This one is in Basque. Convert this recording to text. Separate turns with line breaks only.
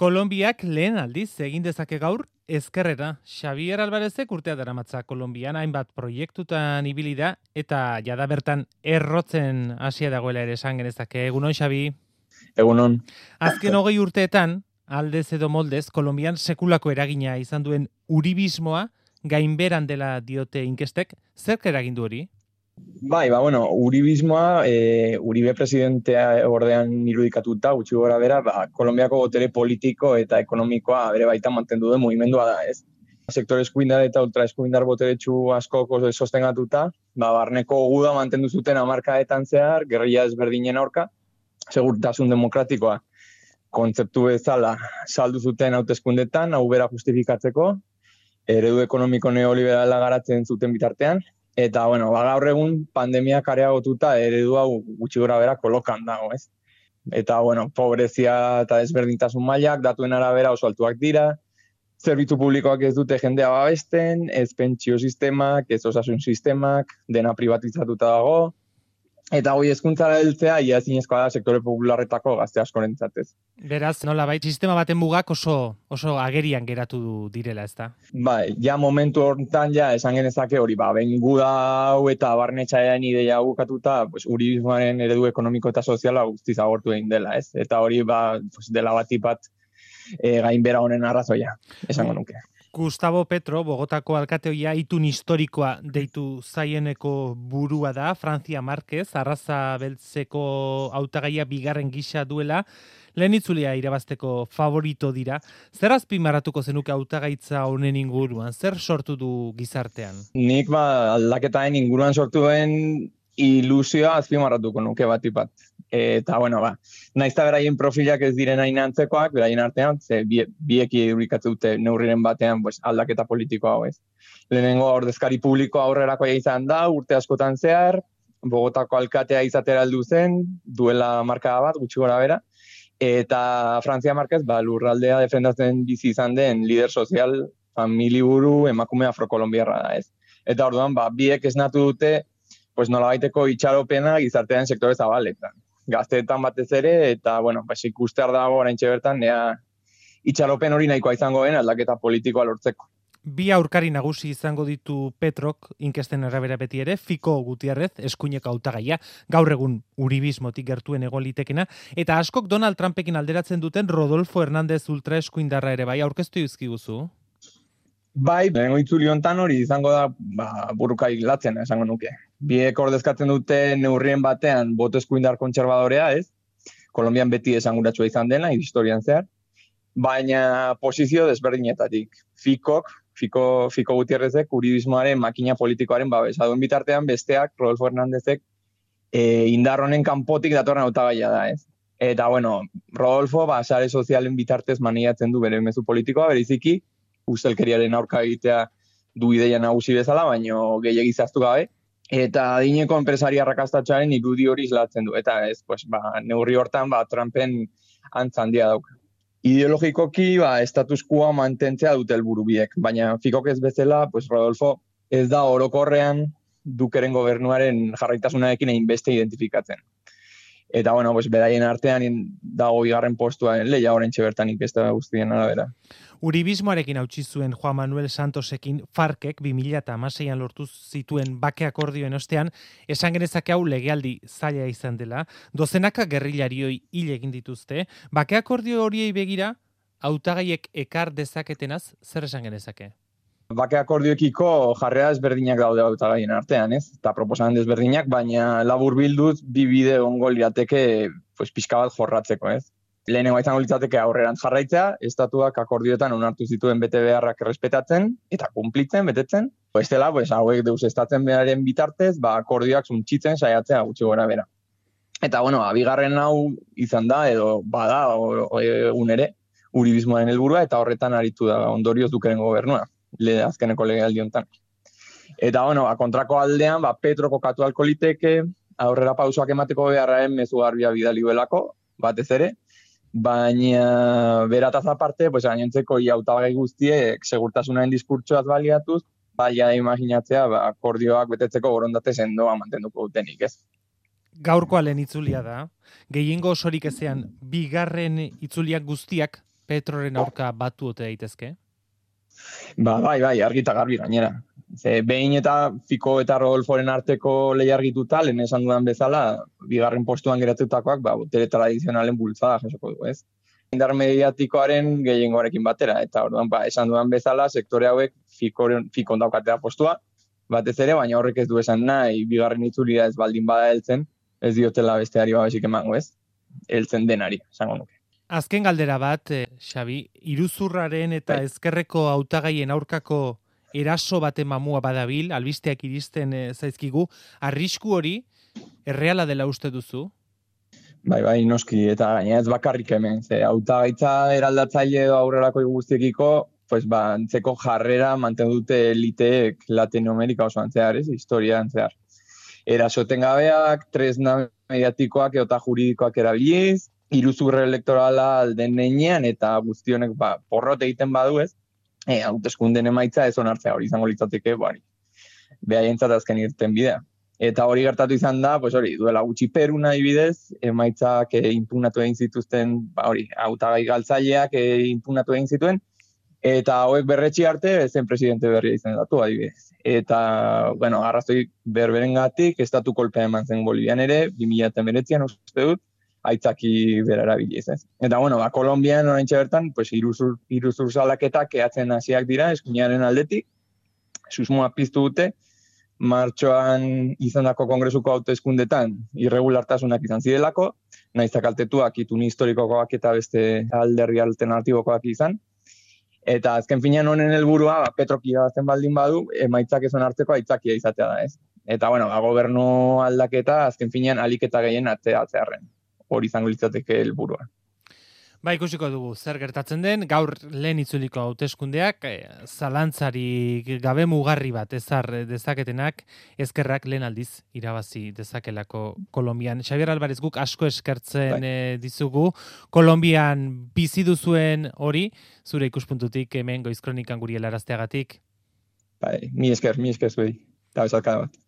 Kolonbiak lehen aldiz egin dezake gaur ezkerrera. Xavier Alvarezek urtea daramatza Kolonbian hainbat proiektutan ibili da eta jada bertan errotzen hasia dagoela ere esan genezake. Egunon, Xabi?
Egunon.
Azken 20 urteetan, aldez edo moldez, Kolonbian sekulako eragina izan duen uribismoa gainberan dela diote inkestek. Zerk eragin du hori?
Bai, uribismoa, Uribe presidentea ordean irudikatuta, gutxi gora bera, Kolonbiako botere politiko eta ekonomikoa bere baita mantendu den mugimendua da, ez? Sektore eskuindar eta ultraeskuindar boteretsu asko sostengatuta, barneko guda mantendu zuten hamarkadetan zehar, gerrilla ezberdinen aurka, segurtasun demokratikoa kontzeptu bezala saldu zuten hauteskundetan, hau bera justifikatzeko, eredu ekonomiko neoliberala garatzen zuten bitartean, eta, gaur egun pandemiak areagotuta eredu hau gutxi gora bera kolokan dago, ez? Eta, pobrezia eta desberdintasun mailak datuen arabera oso altuak dira, zerbitzu publikoak ez dute jendea babesten, ez pentsio sistemak, ez osasun sistemak, dena privatizatuta dago, eta hori hezkuntzara heltzea ia ezinezkoa da sektore popularretako gazte askorentzat, ez.
Beraz, nolabait sistema baten mugak oso agerian geratu direla, ezta?
Bai, ja momentu horretan esan genezake hori, benguda hau eta barnetxaean ideia bukatuta, uribismoaren eredu ekonomiko eta soziala guztiz agortu egin dela, ez? Eta hori dela batipat gainbera honen arrazoia, esango nuke.
Gustavo Petro, Bogotako alkateoia itun historikoa deitu zaieneko burua da, Francia Márquez, arraza beltzeko hautagaia bigarren gisa duela, lehen itzulia irabazteko favorito dira. Zer azpimarratuko zenuke hautagaitza honen inguruan? Zer sortu du gizartean?
Nik aldaketaren inguruan sortu den ilusioa azpimarratuko nuke batipat. Eta, nahiz eta beraien profilak ez diren hain antzekoak, beraien artean, biek irudikatzen dute neurriren batean aldaketa politikoa hau ez. Lehenengo ordezkari publiko aurrerakoia izan da, urte askotan zehar, Bogotako alkatea izatera heldu zen, duela markada bat, gutxi gora bera, eta Francia Márquez, lurraldea defendatzen bizi izan den lider sozial, familiburu, emakume afrokolombiarra da ez. Eta orduan, biek esnatu dute, nolabaiteko itxaropena gizartean sektore zabaletan. Gazteetan batez ere, eta, ikustear dago oraintxe bertan, itxaropen hori nahikoa izango den aldaketa politikoa lortzeko.
Bi aurkari nagusi izango ditu Petrok, inkesten arabera beti ere, Fiko Gutiérrez, eskuineko hautagaia, gaur egun uribismotik gertuen egon litekena, eta askok Donald Trumpekin alderatzen duten Rodolfo Hernández ultraeskuindarra ere aurkeztu dizkiguzu?
Bai, lehenengo itzuli hontan hori izango da buruka hilatzen, esango nuke. Biek ordezkatzen dute neurrien batean boto eskuindar kontserbadorea, ez? Kolonbian beti esanguratsua izan dena, historian zehar, baina posizio desberdinetatik. Fiko Gutiérrezek uribismoaren makina politikoaren babesa duen bitartean, besteak, Rodolfo Hernándezek, indar honen kanpotik datorren hautagaia da, ez? Eta, Rodolfo, sare sozialen bitartez maniatzen du bere mezu politikoa, bereziki, ustelkeriaren aurka egitea du ideia nagusi bezala, baino gehiegi zehaztu gabe, eta adineko enpresaria arrakastatxoaren irudi hori islatzen du. Eta ez, neurri hortan, Trumpen antza handia dauka. Ideologikoki, status quoa mantentzea dute helburu biek, baina Fikok ez bezala, Rodolfo ez da orokorrean Dukeren gobernuaren jarraitasunarekin hainbeste identifikatzen. Eta, beraien artean dago bigarren postuaren lehia oraintxe bertan inkesta guztien arabera.
Uribismoarekin hautsi zuen Juan Manuel Santosekin Farkek 2016an lortu zituen bake akordioen ostean, esan genezake hau legealdi zaila izan dela, dozenaka gerrillarioi hil egin dituzte, bake akordio horiei begira, hautagaiek ekar dezaketenaz, zer esan genezake?
Bake akordioekiko jarrera ezberdinak daude hautagaien artean, ez? Eta proposamen desberdinak, baina labur bilduz bi bide ongo lirateke pixka bat jorratzeko, ez? Lehenengo izango litzateke aurrerantz jarraitzea, estatuak akordioetan onartu zituen bete beharrak errespetatzen eta kumplitzen, betetzen. Bestela, hauek deusestatzen beharren bitartez, akordioak suntsitzen saiatzea gutxi gora bera. Eta, bigarren hau izan da, edo bada, egun ere, uribismoaren helburua eta horretan aritu da ondorioz Dukeren gobernua, azkeneko legealdi hontan. Eta, kontrako aldean, Petro kokatu ahalko liteke, aurrera pausoak emateko beharraren mezu garbia bidali duelako, batez ere, baina berataz aparte, gainontzeko hautagai guztiek segurtasunaren diskurtsoaz baliatuz, imaginatzea akordioak betetzeko borondate sendoa mantenduko dutenik, ez?
Gaurkoa lehen itzulia da, gehiengo osorik ezean, bigarren itzuliak guztiak Petroren aurka batu ote daitezke?
Bai, argi eta garbi gainera. Ze behin eta Fico eta Rodolforen arteko lehia argituta, lehen esan dudan bezala, bigarren postuan geratutakoak, botere tradizionalen bultzada jasoko du, ez? Indar mediatikoaren gehiengoarekin batera, eta orduan, esan dudan bezala, sektore hauek Ficon daukatea postua, batez ere, baina horrek ez du esan nahi, bigarren itzulira ez baldin bada heltzen, ez diotela besteari babesik emango, ez? Heltzen denari, esango nuke.
Azken galdera bat, Xabi, iruzurraren eta ezkerreko hautagaien aurkako eraso baten mamua badabil, albisteak iristen zaizkigu, arrisku hori erreala dela uste duzu?
Bai, noski, eta gaina ez bakarrik hemen, ze hautagaitza eraldatzaile edo aurrerako guztiekiko, antzeko jarrera mantendu dute eliteek Latinoamerika osoan zehar, ez, historian zehar. Erasoten gabeak, tresna mediatikoak eta juridikoak erabiliz, iruzurre elektorala alden neinean, eta guztionek porrot egiten badu ez, hauteskunden emaitza ez onartzea hori izango litzateke, behaientzat azken irten bidea. Eta hori gertatu izan da, duela gutxi Perun adibidez, emaitzak impugnatu egin zituzten, hautagai galtzaileak impugnatu egin zituen, eta hauek berretsi arte zen presidente berria izendatu adibidez. Eta, arrazoi berberengatik, estatu kolpea eman zen Bolivian ere, 2019an uste dut, aitzaki bera erabiliz, ez. Eta, Kolonbian oraintxe bertan, iruzur salaketak eatzen hasiak dira, eskuinaren aldetik, susmoa piztu dute, martxoan izandako kongresuko hauteskundetan irregulartasunak izan zirelako, nahiz kaltetuak itun historikokoak eta beste alderdi alternatibokoak izan. Eta azken finean honen helburua Petrok irabazten baldin badu, emaitzak ez onartzeko aitzakia izatea da, ez. Eta, gobernu aldaketa azken finean aliketa gehien atzearren. Hori izango litzateke helburua.
Ikusiko dugu zer gertatzen den, gaur lehen itzuliko hauteskundeak, zalantzari gabe mugarri bat ezar dezaketenak, ezkerrak lehen aldiz irabazi dezakelako Kolonbian. Xabier Alvarez, guk asko eskertzen dizugu, Kolonbian bizi duzuen hori, zure ikuspuntutik hemen Goiz Kronikan guri helarazteagatik.
Mi esker zuei, eta bezalkada bat.